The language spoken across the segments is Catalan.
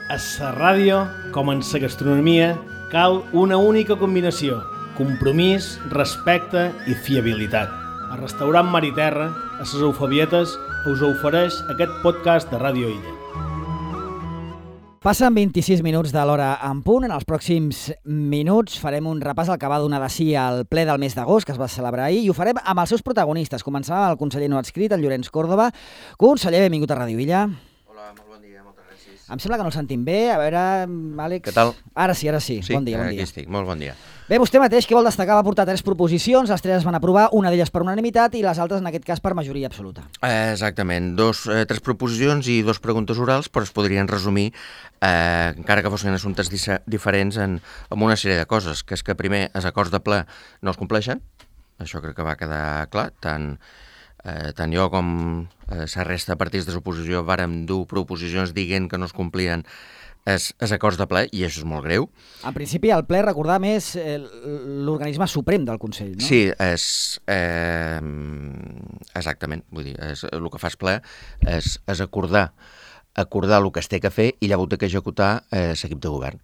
A la ràdio, com en la gastronomia, cal una única combinació: compromís, respecte i fiabilitat. El restaurant Mar i Terra, a les Eufabietes, us ofereix aquest podcast de Ràdio Illa. Passen 26 minuts de l'hora en punt. En els pròxims minuts farem un repàs al que va donar de si al ple del mes d'agost, que es va celebrar ahir, i ho farem amb els seus protagonistes. Començarem amb el conseller no adscrit, el Llorenç Córdoba. Conseller, benvingut a Ràdio Illa. Hola, molt bon dia, moltes gràcies. Em sembla que no el sentim bé. A veure, Àlex... Què tal? Ara sí. Sí, bon dia. aquí estic, molt bon dia. Bé, vostè mateix, què vol destacar? Va portar 3 proposicions, les 3 es van aprovar, una d'elles per unanimitat i les altres, en aquest cas, per majoria absoluta. Exactament, 3 proposicions i 2 preguntes orals, però es podrien resumir, encara que fossin assumptes diferents, en una sèrie de coses, que és que primer els acords de ple no es compleixen, això crec que va quedar clar, tant jo com la resta de partits de l'oposició vàrem dur proposicions dient que no es complien els acords de ple, i això és molt greu. En principi, el ple, recordar més, l'organisme suprem del Consell, no? Sí, exactament. Vull dir, el que fa el ple és acordar el que es té que fer i llavors té que executar l'equip de govern.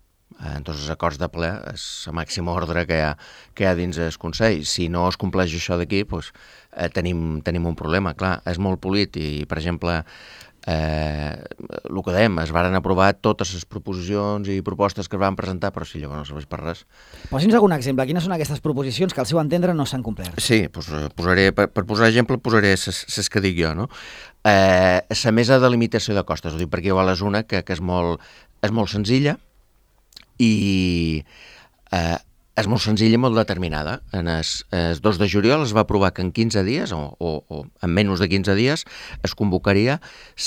Entonces, els acords de ple és la màxima ordre que hi ha dins el Consell. Si no es compleix això d'aquí, doncs, tenim un problema. Clar, és molt polit i, per exemple, el que dèiem, es varen aprovar totes les proposicions i propostes que es van presentar, però si llavors no serveix per res. Posi'ns algun exemple. Quines són aquestes proposicions que al seu entendre no s'han complert? Sí, doncs, per posar exemple posaré les que dic jo, no? La mesa de limitació de costes, ho dic perquè igual és una que és molt senzilla i és molt senzilla i molt determinada. El 2 de juliol es va aprovar que en 15 dies, o en menys de 15 dies, es convocaria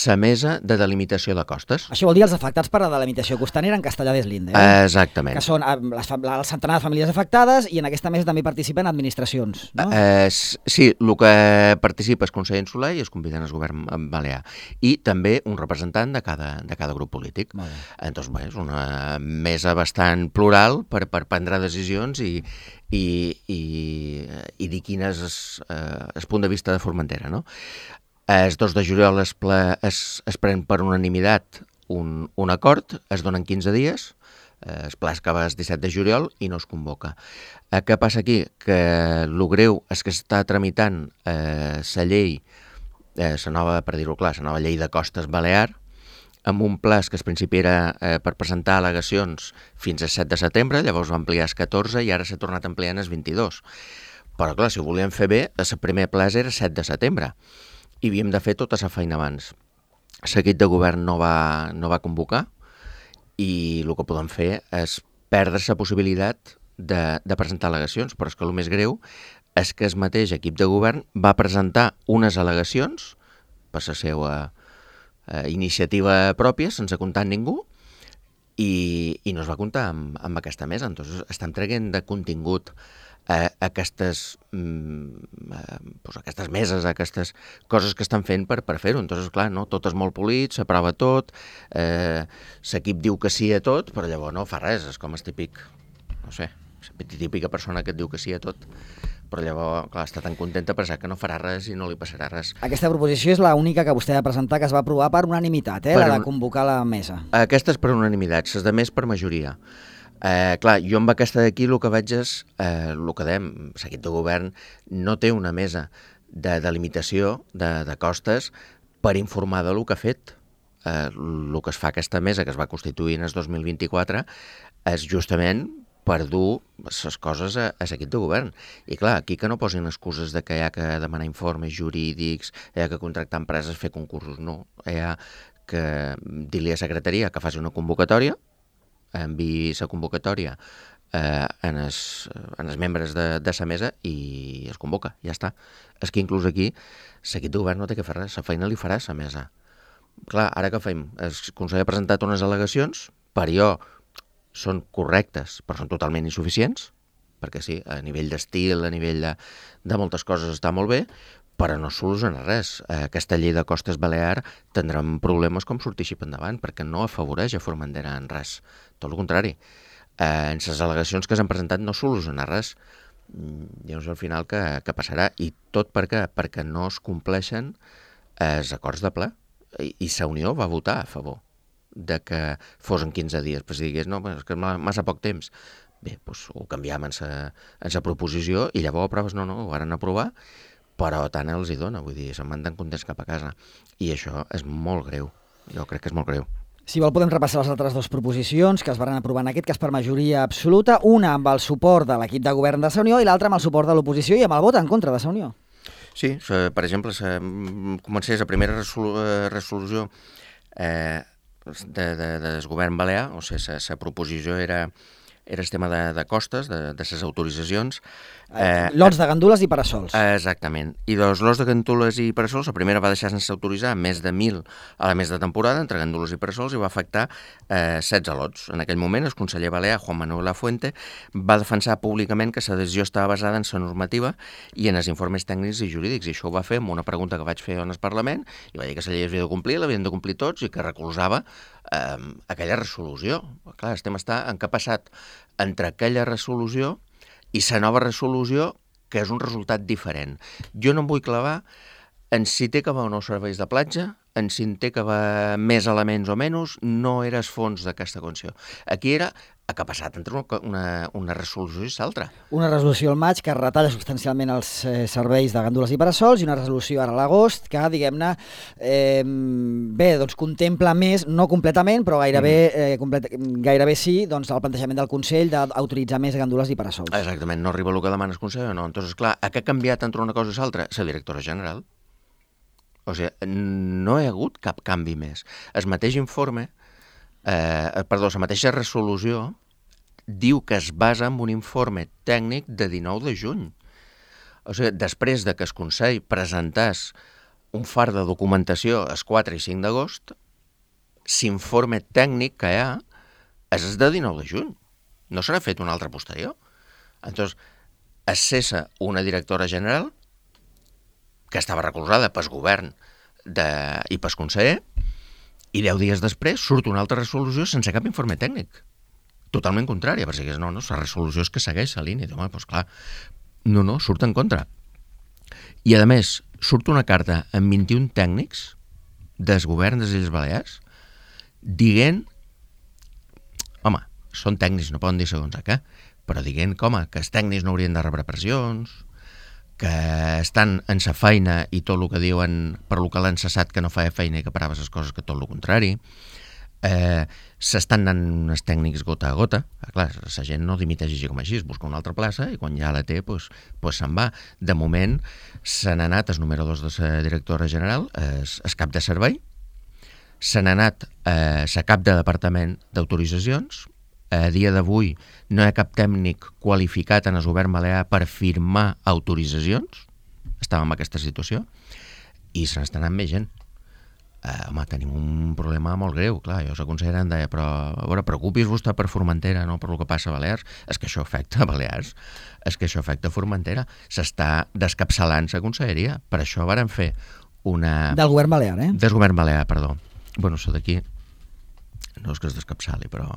la mesa de delimitació de costes. Això vol dir els afectats per la delimitació costanera en Castellar del Linde, Exactament. Que són el centenar de famílies afectades i en aquesta mesa també participen administracions, no? Sí, el que participa és Consell Insular i es conviden al govern balear. I també un representant de cada grup polític. Entonces, bé, és una mesa bastant plural per prendre decisions i dir quin és el punt de vista de Formentera, no? El 2 de juliol es pren per unanimitat un acord, es donen 15 dies, el ple acaba el 17 de juliol i no es convoca. Què passa aquí? Que el greu és que està tramitant la llei, la nova, per dir-ho clar, la nova llei de costes balear, amb un plaç que al principi era per presentar al·legacions fins al 7 de setembre, llavors va ampliar el 14 i ara s'ha tornat ampliant el 22. Però clar, si ho volíem fer bé, el primer plaç era el 7 de setembre i havíem de fer tota la feina abans. L'equip de govern no va convocar i el que podem fer és perdre la possibilitat de presentar al·legacions, però és que el més greu és que el mateix equip de govern va presentar unes al·legacions per la seva iniciativa pròpia, sense comptar amb ningú, i no es va comptar amb aquesta mesa. Entonces, estem traient de contingut aquestes meses, aquestes coses que estan fent per fer-ho. Entonces, clar, no, tot és molt polit, s'aprova tot, l'equip diu que sí a tot, però llavors no fa res, és com el típic, no sé, la típica persona que et diu que sí a tot, però llavors, clar, està tan contenta pensar que no farà res i no li passarà res. Aquesta proposició és l'única que vostè ha de presentar que es va aprovar per unanimitat, la de convocar la mesa. Aquesta és per unanimitat, les de més per majoria. Clar, jo amb aquesta d'aquí el que veig és, el que dèiem, l'equip de govern no té una mesa de delimitació de costes per informar del que ha fet. El que es fa aquesta mesa, que es va constituir en el 2024, és justament per dur les coses a l'equip de govern. I clar, aquí que no posin excuses de que hi ha que demanar informes jurídics, hi ha que contractar empreses, fer concursos, no. Hi ha que dir-li a secretaria que faci una convocatòria, enviï la convocatòria en els membres de la mesa i es convoca, ja està. És que inclús aquí l'equip de govern no té que fer res, la feina li farà la mesa. Clar, ara què fem? El Consell ha presentat unes al·legacions, per jo són correctes, però són totalment insuficients, perquè sí, a nivell d'estil, a nivell de moltes coses està molt bé, però no soluciona res. Aquesta llei de costes balear tindrà problemes com sortir així endavant, perquè no afavoreix a Formentera en res. Tot el contrari. En les al·legacions que s'han presentat no soluciona res. Llavors al final què passarà? I tot per què? Perquè no es compleixen els acords de ple. I la Unió va votar a favor de que fos en 15 dies, però si digués, no, és que massa poc temps. Bé, doncs ho canviam en sa proposició i llavors proves, no, ho van aprovar, però tant els hi dona, vull dir, se'n van tan contents cap a casa. I això és molt greu, jo crec que és molt greu. Si vol, podem repassar les altres dues proposicions que es van aprovar en aquest cas per majoria absoluta, una amb el suport de l'equip de govern de Sa Unió i l'altra amb el suport de l'oposició i amb el vot en contra de Sa Unió. Sí, per exemple, comencés la primera resolució del govern balear, o sigui, la proposició era el tema de costes, de les autoritzacions. Lots de gandules i parasols. Exactament. I doncs lots de gandules i parasols, la primera va deixar sense autoritzar més de 1.000 a la mes de temporada, entre gandules i parasols, i va afectar 16 lots. En aquell moment, el conseller balear, Juan Manuel Lafuente, va defensar públicament que la decisió estava basada en la normativa i en els informes tècnics i jurídics, i això ho va fer amb una pregunta que vaig fer en el Parlament, i va dir que la llei havia de complir, l'havien de complir tots, i que recolzava aquella resolució. Clar, el tema està en què ha passat entre aquella resolució i la nova resolució, que és un resultat diferent. Jo no em vull clavar en si té que va o no serveis de platja, en si té que va més elements o menys, no era el fons d'aquesta qüestió. Aquí era el que ha passat entre una resolució i l'altra. Una resolució al maig que retalla substancialment els serveis de gandules i parasols i una resolució ara a l'agost que, diguem-ne, doncs contempla més, no completament, però gairebé sí, doncs el plantejament del Consell d'autoritzar més gandules i parasols. Exactament, no arriba el que demana el Consell o no. Entonces, clar, què ha canviat entre una cosa i l'altra? La directora general. O sigui, no hi ha hagut cap canvi més. El mateix informe, la mateixa resolució diu que es basa en un informe tècnic de 19 de juny. O sigui, després de que el Consell presentés un far de documentació el 4 i 5 d'agost, l'informe tècnic que hi ha és el de 19 de juny. No s'ha fet un altre posterior. Entonces, es cessa una directora general que estava recolzada pel govern i pel conseller, i 10 dies després surt una altra resolució sense cap informe tècnic. Totalment contrària, perquè no, la resolució és que segueix la línia. Home, doncs clar, no, surt en contra. I, a més, surt una carta amb 21 tècnics del govern de les Illes Balears dient, home, són tècnics, no poden dir segons què, però dient que els tècnics no haurien de rebre pressions, que estan en sa feina i tot el que diuen per lo que l'han cessat que no feia feina i que parava les coses que tot el contrari. S'estan anant els tècnics gota a gota. Clar, la gent no dimiteix així com així, es busca una altra plaça i quan ja la té, doncs se'n va. De moment se n'ha anat el número 2 de la directora general, el cap de servei, se n'ha anat la cap de departament d'autoritzacions. A dia d'avui no hi ha cap tècnic qualificat en el govern balear per firmar autoritzacions. Estàvem en aquesta situació i se n'està anant més gent. Home, tenim un problema molt greu, clar, jo la consellera em deia, però a veure, preocupis vostè per Formentera, no per el que passa a Balears. És que això afecta a Balears, és que això afecta a Formentera. S'està descapçalant la conselleria. Per això varen fer una... Del govern balear, Del govern balear, perdó. Bueno, això d'aquí no és que es descapçali, però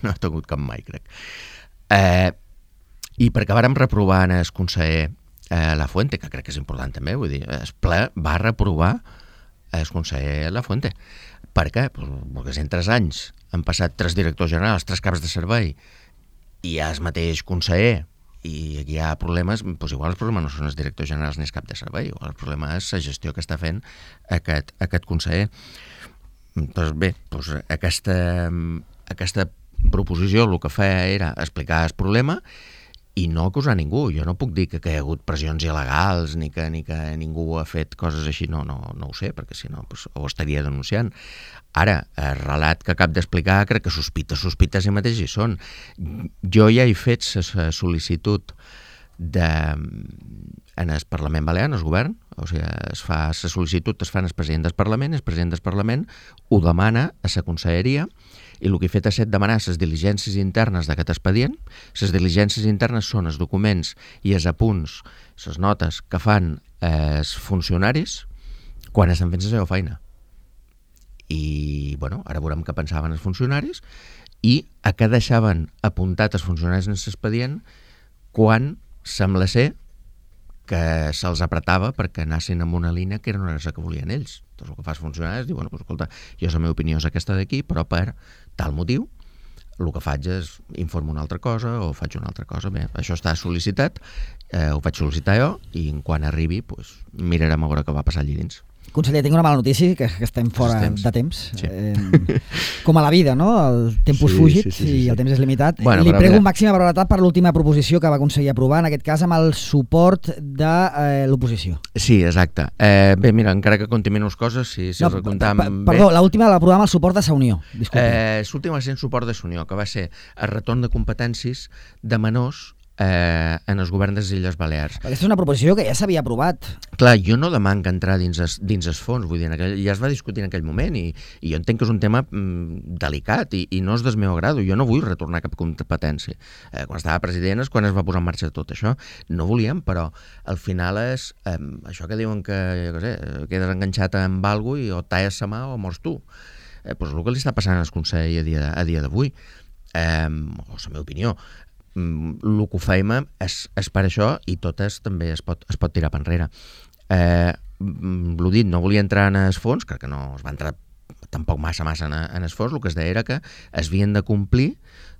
no ha tingut cap mai, crec. I perquè vàrem reprovar en el conseller Lafuente, que crec que és important també, vull dir, el ple va reprovar el conseller Lafuente. Per què? Perquè en 3 anys han passat 3 directors generals, 3 caps de servei, i hi ha el mateix conseller, i aquí hi ha problemes, doncs igual els problemes no són els directors generals ni el cap de servei, igual el problema és la gestió que està fent aquest conseller. Doncs bé, aquesta proposició el que feia era explicar el problema i no acusar ningú. Jo no puc dir que hi ha hagut pressions il·legals ni que ningú ha fet coses així, no ho sé, perquè si no ho estaria denunciant. Ara, el relat que acabo d'explicar crec que sospites si mateix hi són. Jo ja he fet la sol·licitud en el Parlament Balear, en el govern, o sigui, la sol·licitud es fa en el president del Parlament, el president del Parlament ho demana a la conselleria, i el que he fet és demanar les diligències internes d'aquest expedient. Les diligències internes són els documents i els apunts, les notes que fan els funcionaris quan estan fent la seva feina. I, ara veurem què pensaven els funcionaris i a què deixaven apuntat els funcionaris en l'expedient quan sembla ser que se'ls apretava perquè anessin en una línia que era una cosa que volien ells. Doncs el que fas funcionar és dir, bueno, doncs, escolta, jo la meva opinió és aquesta d'aquí, però per tal motiu el que faig és informo una altra cosa o faig una altra cosa. Bé, això està sol·licitat, ho vaig sol·licitar jo i quan arribi doncs, mirarem a veure què va passar allí dins. Conseller, tinc una mala notícia, que estem fora de temps. Sí. Com a la vida, no? El tempus fugit i el temps és limitat. Bueno, li prego màxima brevetat per l'última proposició que va aconseguir aprovar, en aquest cas amb el suport de l'oposició. Sí, exacte. Bé, mira, encara que conti menys coses, si recomptam bé... Perdó, l'última l'aprovar amb el suport de Sa Unió. L'última va ser el suport de Sa Unió, que va ser el retorn de competències de menors en els governs de les Illes Balears. Aquesta és una proposició que ja s'havia aprovat. Clar, jo no demanc entrar dins els fons, vull dir, ja es va discutir en aquell moment i jo entenc que és un tema delicat i no és del meu agrado. Jo no vull retornar cap competència. Quan estava president és quan es va posar en marxa tot això. No volíem, però al final és això que diuen que, jo què sé, quedes enganxat amb algo i o talles la mà o mors tu. Doncs el que li està passant al Consell a dia d'avui, o la meva opinió. El que ho fèiem és per això i totes també es pot tirar per enrere. L'ho dit, no volia entrar en els fons, crec que no es va entrar tampoc massa en els fons. El que es deia era que es havien de complir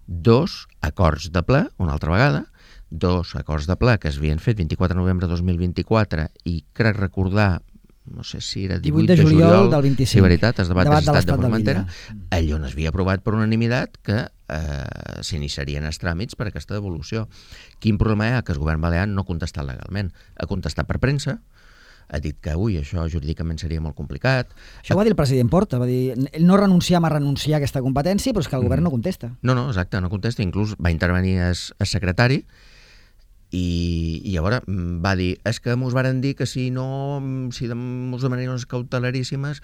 2 acords de ple, una altra vegada, 2 acords de ple que es havien fet 24 de novembre de 2024 i crec recordar, no sé si era 18 de juliol del 25. Sí, veritat, el debat de l'estat de Formentera, allò no s'havia aprovat per unanimitat que s'iniciarien els tràmits per aquesta devolució. Quin problema hi ha? Que el govern balear no ha contestat legalment. Ha contestat per premsa, ha dit que això jurídicament seria molt complicat. Això ho va dir el president Porta, va dir no renunciam a renunciar a aquesta competència, però és que el govern no contesta. No, exacte, no contesta, inclús va intervenir el secretari i llavors va dir, és que mos varen dir que si mos demanarien unes cautelaríssimes,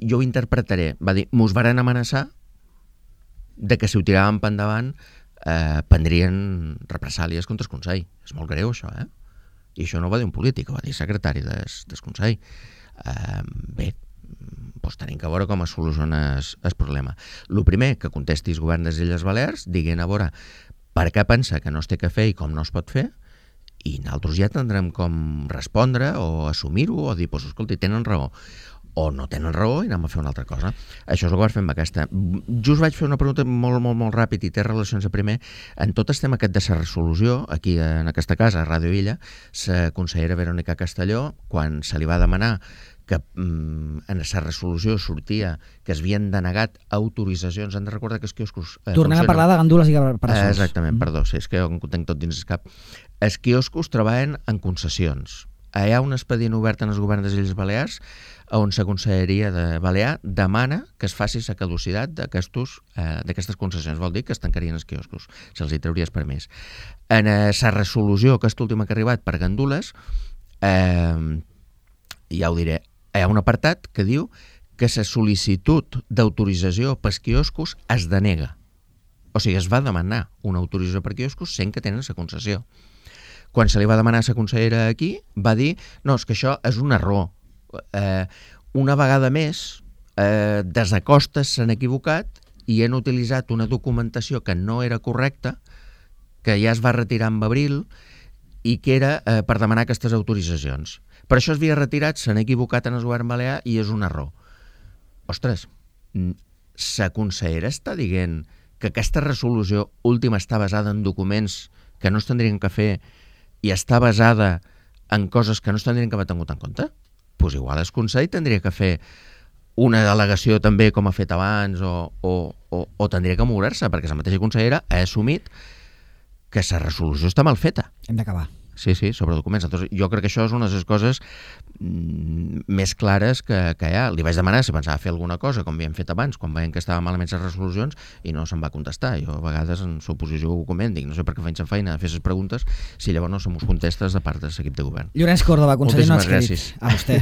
jo ho interpretaré, va dir, mos varen amenaçar de que si ho tiràvem per endavant prendrien represàlies contra el Consell. És molt greu això, I això no ho va dir un polític, ho va dir el secretari del Consell. Bé, doncs tenim que veure com es soluciona el problema. El primer, que contesti el govern de les Illes Balears, diguin a veure per què pensa que no es té que fer i com no es pot fer, i nosaltres ja tindrem com respondre o assumir-ho o dir, doncs escolta, tenen raó o no tenen raó i anem a fer una altra cosa. Això és el que vaig fer amb aquesta. Just vaig fer una pregunta molt ràpid i té relacions a primer. En tot el tema aquest de la resolució, aquí en aquesta casa, a Ràdio Illa, la consellera Verónica Castelló, quan se li va demanar que en la resolució sortia que es havien denegat autoritzacions, han de recordar que els quioscos... Tornem a parlar de gandules i caparazons. Exactament, perdó, sí, és que jo ho tenc tot dins el cap. Els quioscos treballen en concessions. Hi ha un expedient obert en els governs de les Illes Balears on la Conselleria de Balear demana que es faci la caducitat d'aquestes concessions. Vol dir que es tancarien els quioscos, se'ls hi trauria el permís. En la resolució, aquesta última que ha arribat per gandules, ja ho diré, hi ha un apartat que diu que la sol·licitud d'autorització pels quioscos es denega. O sigui, es va demanar una autorització per quioscos sent que tenen la concessió. Quan se li va demanar a la consellera aquí, va dir, no, és que això és un error. Una vegada més, des de Costes s'han equivocat i han utilitzat una documentació que no era correcta, que ja es va retirar en abril i que era per demanar aquestes autoritzacions. Per això es havia retirat, s'han equivocat en el govern balear i és un error. Ostres, la consellera està dient que aquesta resolució última està basada en documents que no es tindrien que fer i està basada en coses que no es tindrien que haver tingut en compte? Doncs igual el Consell tindria que fer una delegació també com ha fet abans o tindria que moure-se, perquè la mateixa consellera ha assumit que la resolució està mal feta. Hem d'acabar. Sí, sobre documents. Entonces, jo crec que això és una de les coses més clares que hi ha. Li vaig demanar si pensava fer alguna cosa, com havíem fet abans, quan veiem que estaven malament les resolucions, i no se'm va contestar. Jo a vegades en l'oposició ho comento, dic, no sé per què faig la feina de fer les preguntes si llavors no se mos contestes de part de l'equip de govern. Llorenç Córdoba, conseller no adscrit. A vostè.